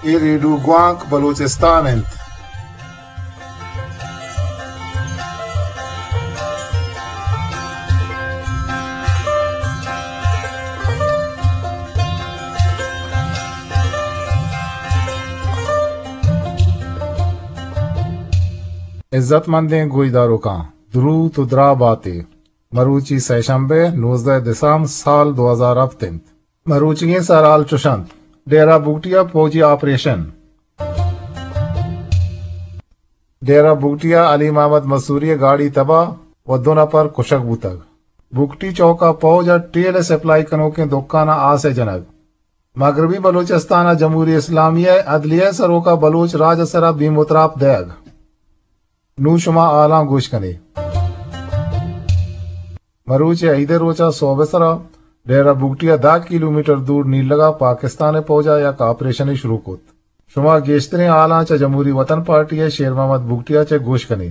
اے ریڈیو گوانک بلوچستان انت۔ عزت مندیں گوشداروکاں، دروت و دراہ باتے۔ مروچی سئے شمبے، نوزدہ دسمبر سال دو ہزار ہفت انت۔ مروچیگیں سرحال چش انت۔ ڈیرہ بگٹی ء پوجی آپریشن۔ ڈیرہ بگٹی ء علی محمد مسوری ء گاڑی تباہ و دو نپر کشگ بوتگ۔ بگٹی چوک ء پوج ء ٹیل ء سپلائی کنوکیں دکان ء آس ء جنگ۔ مغربی بلوچستان ء جمہوری اسلامی ء عدلیہ ء سروک ء بلوچ راج ء سرا بیم و تراپ دئیگ۔ نوں شما حالاں گوش کن ئے۔ مروچی عید ء روچ ء سہب ء سرا ڈیرہ بگٹی ء دہ کیلومیٹر دور نیلگ ء پاکستان ء پوج ء یک آپریشنے شروع کت۔ شما گیشتریں حالاں چہ جمہوری وطن پارٹی ء شیر محمد بگٹی ء چہ گوش کن ئے۔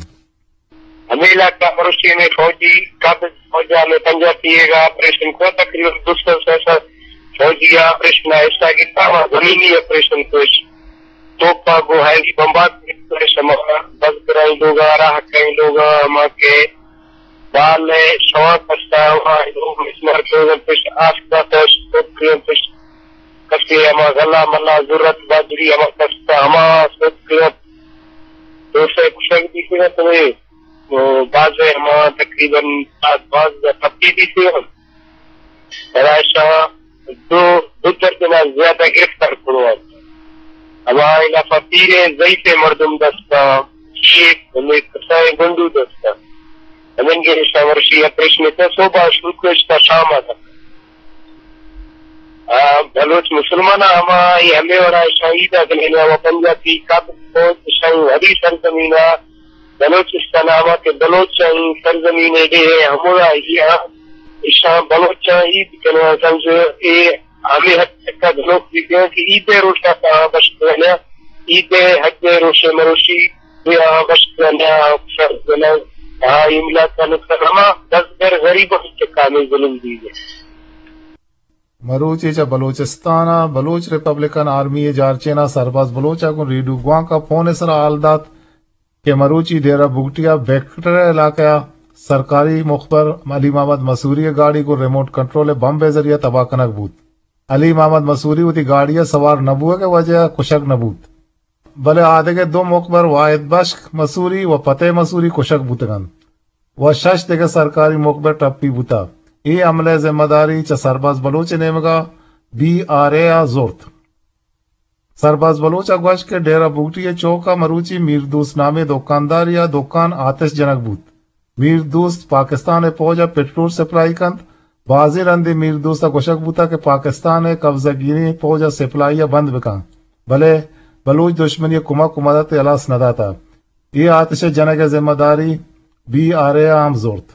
ہمے علاقہ ء مروچی ہمے فوجی قابض فوج ء ہمے پنجاہ پی اے ء آپریشن کو، تقریباً دو سو سے سو فوجی آپریشن ء حصہ گپتا، ہما زمینی آپریشن کوش توپ ء گوں ہیوی بمبارڈمنٹ ء شما بزگرانی لوگ ء، راہکانی لوگ ء، ہما کہ بال ء شوان کشتا، ہما لوگ مسمار کنگ انت، پشت آسک داتش، توپ کنگ انت، پشت کسے ہما غلہ ملہ، زرت، باجری ہما کشتا، ہما سوت کنگ انت۔ دو سئے کشگ بیتگ انت، ہمے، او، بازیں ہما تقریباً ساعت بانزدہ ٹپی بیتگ انت۔ پدا اشاں دو، دو درجن ء زیادہ گرفتار کنوک۔ ہما علاقہ پیریں ضعیفیں مردم دستا، شیپ، ہمے کسائیں گنڈو دستا۔ ہمنگے اشاں ورشی آپریشن تا صبح شروع کو اشتا شام آتا۔ آ، بلوچ مسلمان ہما اے ہمے وڑا اشاں عید ء گلینا و پنجاتی قابض فوج اشاں وتی سرزمین ء بلوچستان ء ہما کہ بلوچانی سرزمین ء ڈیھ ء ہمودا ای آ اشاں بلوچاں عید کناں، سمجھ اے ہمے حد تک گنوک بیتگ کہ عید ء روچ ء آ بشک کناں، عید ء حد ء روش ء مروشی اے آ بشک کناں، سر کناں، آ املاک کناں، ہما دزگر غریباں چہ کامیں ظلم دیگ۔ مروچی چہ بلوچستان ء بلوچ ریپبلکن آرمی ء جارچین ء سرباز بلوچ ء گوں ریڈیو گوانک ء پون ء سرا حال دات کہ مروچی ڈیرہ بگٹی ء بیکٹر ء علاقہ ء سرکاری مخبر علی محمد مسوری ء گاڑی گوں ریموٹ کنٹرول ء بمب ء ذریعہ تباہ کنگ بوت۔ علی محمد مسوری وتی گاڑی ء سوار نہ بوگ ء وجہ ء کشگ نہ بوت، بلے آدگہ دو مخبر واحد بشک مسوری و پتہ مسوری کشگ بوتگ انت و شش دگہ سرکاری مخبر ٹپی بوتگ۔ اے حملہ ء ذمہ داری چہ سرباز بلوچ ء نیمگ ء بی آر اے ء زرت۔ سرباز بلوچ ء گوشت کہ ڈیرہ بگٹی ء چوک ء مروچی میر دوست نامیں دکاندارے ء دکان آتش جنگ بوت۔ میر دوست پاکستان ء پوج ء پٹرول سپلائی کنت۔ بازیں رندے میر دوست ء گوشگ بوتگ کہ پاکستان ء قبضہ گیریں پوج ء سپلائی ء بند بکن، بلے بلوچ دشمنی ء کمک و مدد ء ہلاس نہ داتگ۔ اے آتش ء جنگ ء ذمہ داری بی آر اے ء ہم زرت۔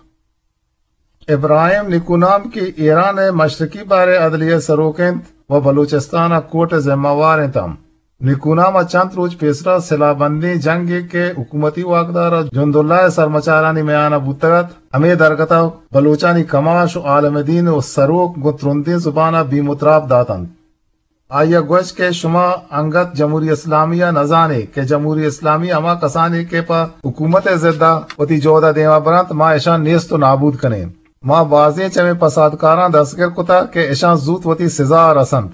ابراہیم نیکونام کہ ایران ء مشرقی بحر ء عدلیہ ء سروک انت و بلوچستان ء کوٹ ء ذمہ وار انت ہم۔ نیکونام ء چنت روچ پیسرا سلاہ بندیں جنگے کہ حکومتی واکدار ء جنداللہ ء سرمچارانی میان ء بوتگ ات، ہمے درگت ء بلوچانی کماش و عالم دین و سروک گوں ترندیں زبان ء بیم و تراپ دات انت۔ آئی ء گوشت کہ شما انگت جمہوری اسلامی ء نہ زان ئے کہ جمہوری اسلامی ہما کسانے کہ پہ حکومت ء ضد ء وتی جہد ء دیما برنت، ما اشاں نیست و نابود کنیں۔ ما بازیں چمے پسادکاراں دستگر کتگ کہ اشاں زوت وتی سزا ء رسنت۔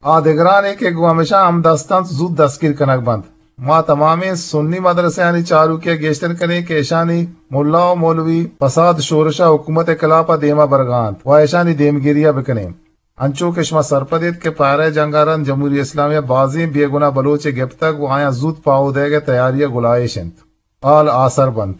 آ دگرانے کہ گوں ہمیشاں ہمدست انت، زوت دستگیر کنگ بنت۔ ما تمامیں سنی مدرسہانی چاروکی ء گیشتر کنیں کہ اشانی ملا و مولوی پساد شورش ء حکومت ء خلاف ء دیما برگا انت و اشانی دیمگیری ء بکنیں۔ انچو کہ شما سرپد ایت کہ پہرہ ء جنگ ء رند جمہوری اسلامی ء بازیں بے گناہ بلوچے گپتگ و آیاں زوت پاہو دئیگ ء تیاری ء گلائیش انت۔ حال آسر بنت۔